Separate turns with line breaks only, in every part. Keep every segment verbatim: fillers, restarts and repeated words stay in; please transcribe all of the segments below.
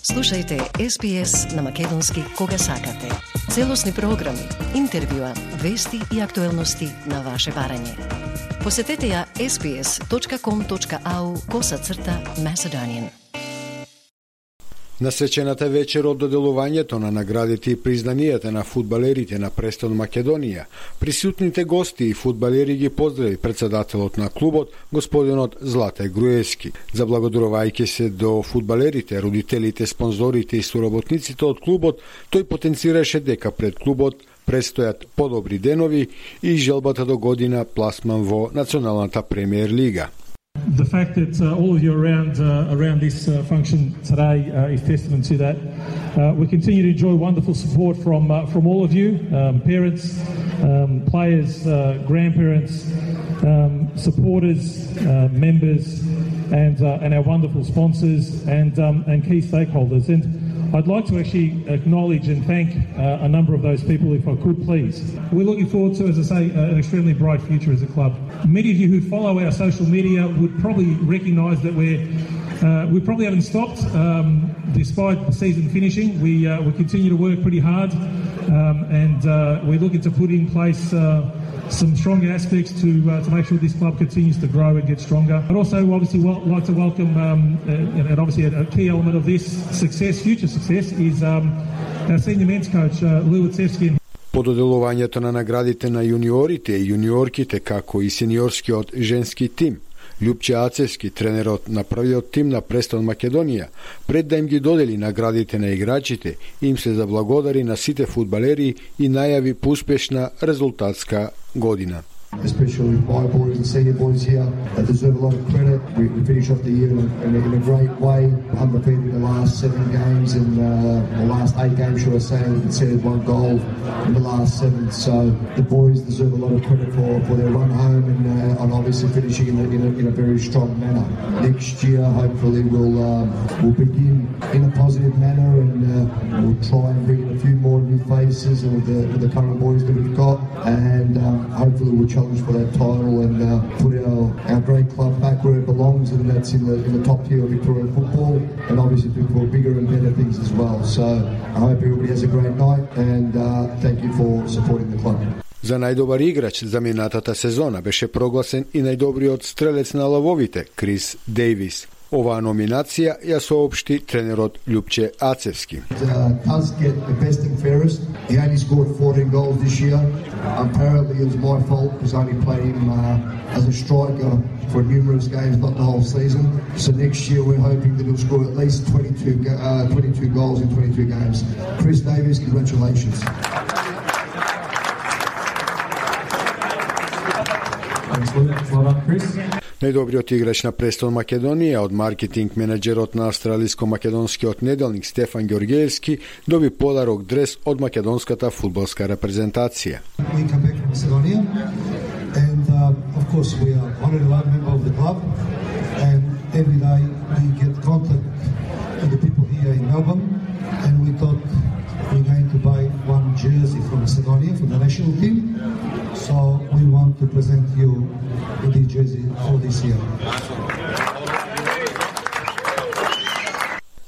Слушајте Ес Би Ес на македонски кога сакате. Целосни програми, интервјуа, вести и актуелности на ваше барање. Посетете ја ес би ес точка ком точка ау косацрта Macedonian.
На свечената вечер од доделувањето на наградите и признанијата на фудбалерите на престон Македонија, присутните гости и фудбалери ги поздрави председателот на клубот, господинот Злате Груевски. Заблагодарувајќи се до фудбалерите, родителите, спонзорите и соработниците од клубот, тој потенцираше дека пред клубот предстојат подобри денови и желбата до година пласман во Националната премиер лига.
The fact that uh, all of you are around uh, around this uh, function today uh, is testament to that. Uh, we continue to enjoy wonderful support from uh, from all of you, um, parents, um, players, uh, grandparents, um, supporters, uh, members, and uh, and our wonderful sponsors and um, and key stakeholders. And I'd like to actually acknowledge and thank uh, a number of those people, if I could please. We're looking forward to, as I say, uh, an extremely bright future as a club. Many of you who follow our social media would probably recognise that we're uh, we probably haven't stopped um, despite the season finishing. We uh, we continue to work pretty hard, um, and uh, we're looking to put in place Uh, some strong aspects to uh, to make sure this club continues to grow and get stronger. I'd also obviously wel- like to welcome, um, uh, and obviously a, a key element of this success, future success, is um, our senior men's coach, uh, Lou Wacevski.
По доделувањето на наградите на јуниорите и јуниорките, како и сениорскиот женски тим, Љупче Ацевски, тренерот на првиот тим на престон Македонија, пред да им ги додели наградите на играчите, им се заблагодари на сите фудбалери и најави по успешна резултатска година.
Especially my boys and senior boys here, they deserve a lot of credit. We, we finished off the year in a, in a great way, undefeated in the last seven games and uh, the last eight games, should I say, and conceded one goal in the last seven. So the boys deserve a lot of credit for, for their run home and, uh, and obviously finishing in a, in, a, in a very strong manner. Next year, hopefully, we'll um, we'll begin in a positive manner and uh, we'll try and bring in a few more new faces with the, with the current boys that we've got, and um, hopefully we'll challenge for that title and uh, put our, our great club back where it belongs, and that's in the in the top tier of Victorian football, and obviously for bigger and better things as well. So I hope everybody has a great night, and uh, thank you for supporting the club.
За најдобар играч за минатата сезона беше прогласен и најдобриот стрелец на лавовите, Крис Дейвис. Оваа номинација ја соопшти тренерот Љупче Ацевски.
Does get the best and fairest. He only scored fourteen goals this year. Apparently it was my fault because I only played him uh, as a striker for numerous games, not the whole season. So next year we're hoping that he'll score at least twenty-two, uh, twenty-two goals in twenty-two games. Chris Davis, congratulations.
Најдобриот играч на престон Македонија од маркетинг менеджерот на австралиско-македонскиот неделник Стефан Ѓорѓеевски доби подарок дрес од македонската фудбалска репрезентација.
We come back from Macedonia and uh, of course we are honorary member of the club, and every day we get contact with the people here in Melbourne, and we thought we're going to buy one jersey from Macedonia for the national team. So we want to present you with this jersey for this year.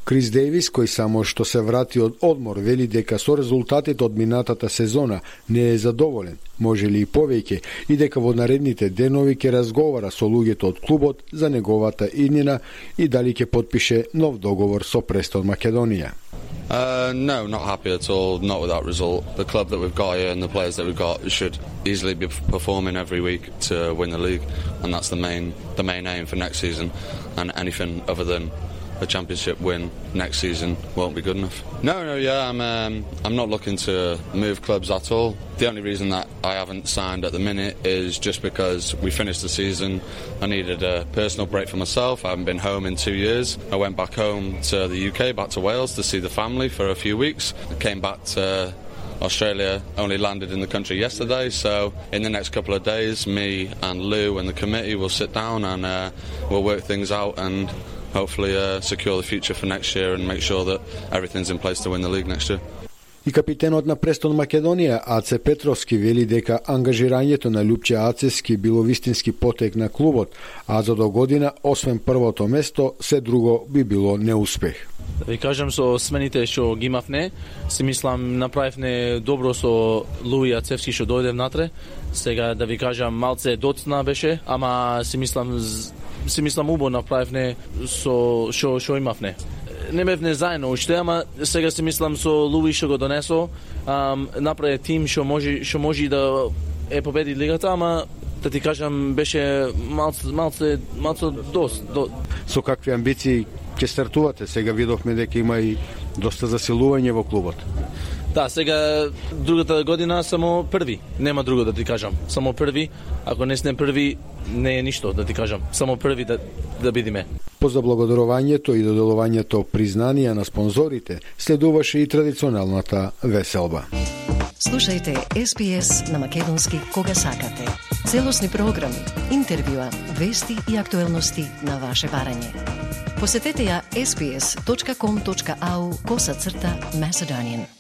Крис Дейвис, кој само што се врати од одмор, вели дека со резултатите од минатата сезона не е задоволен, може ли и повеќе, и дека во наредните денови ќе разговара со луѓето од клубот за неговата иднина и дали ќе потпише нов договор со престон Македонија.
Uh, no, not happy at all, not with that result. The club that we've got here and the players that we've got should easily be performing every week to win the league, and that's the main the main aim for next season, and anything other than a championship win next season won't be good enough. No, no, yeah, I'm um, I'm not looking to move clubs at all. The only reason that I haven't signed at the minute is just because we finished the season. I needed a personal break for myself. I haven't been home in two years. I went back home to the U K, back to Wales to see the family for a few weeks. I came back to Australia, only landed in the country yesterday, so in the next couple of days me and Lou and the committee will sit down and uh, we'll work things out and hopefully uh, secure the future for next year and make sure that everything's in place to win the league next year.
И капитенот на престон Македонија Аце Петровски вели дека ангажирањето на Љупче Ацевски било вистински потек на клубот, а за до година, освен првото место, се друго би било неуспех.
Да ви кажам, со смените што ги имавне, си мислам направивне добро со Луија Цевски што дојде внатре. Сега да ви кажам малце доцна беше, ама си мислам си мислам убаво направивне со што што имавне. Не бевне заедно уште, ама сега си мислам со Луи што го донесо, ам, направи тим што може што може да е победи лигата, ама да ти кажам беше малце малце малце дос. До...
Со какви амбиции ќе стартувате? Сега видовме дека има и доста засилување во клубот.
Да, сега другата година само први, нема друго да ти кажам. Само први, ако не сме први, не е ништо да ти кажам. Само први да да бидиме.
По заблагодарувањето и доделувањето признанија на спонзорите, следуваше и традиционалната веселба.
Слушајте Ес Би Ес на македонски кога сакате. Целосни програми, интервјуа, вести и актуелности на ваше барање. Посетете ја ес би ес точка ком точка ау косацрта Macedonian.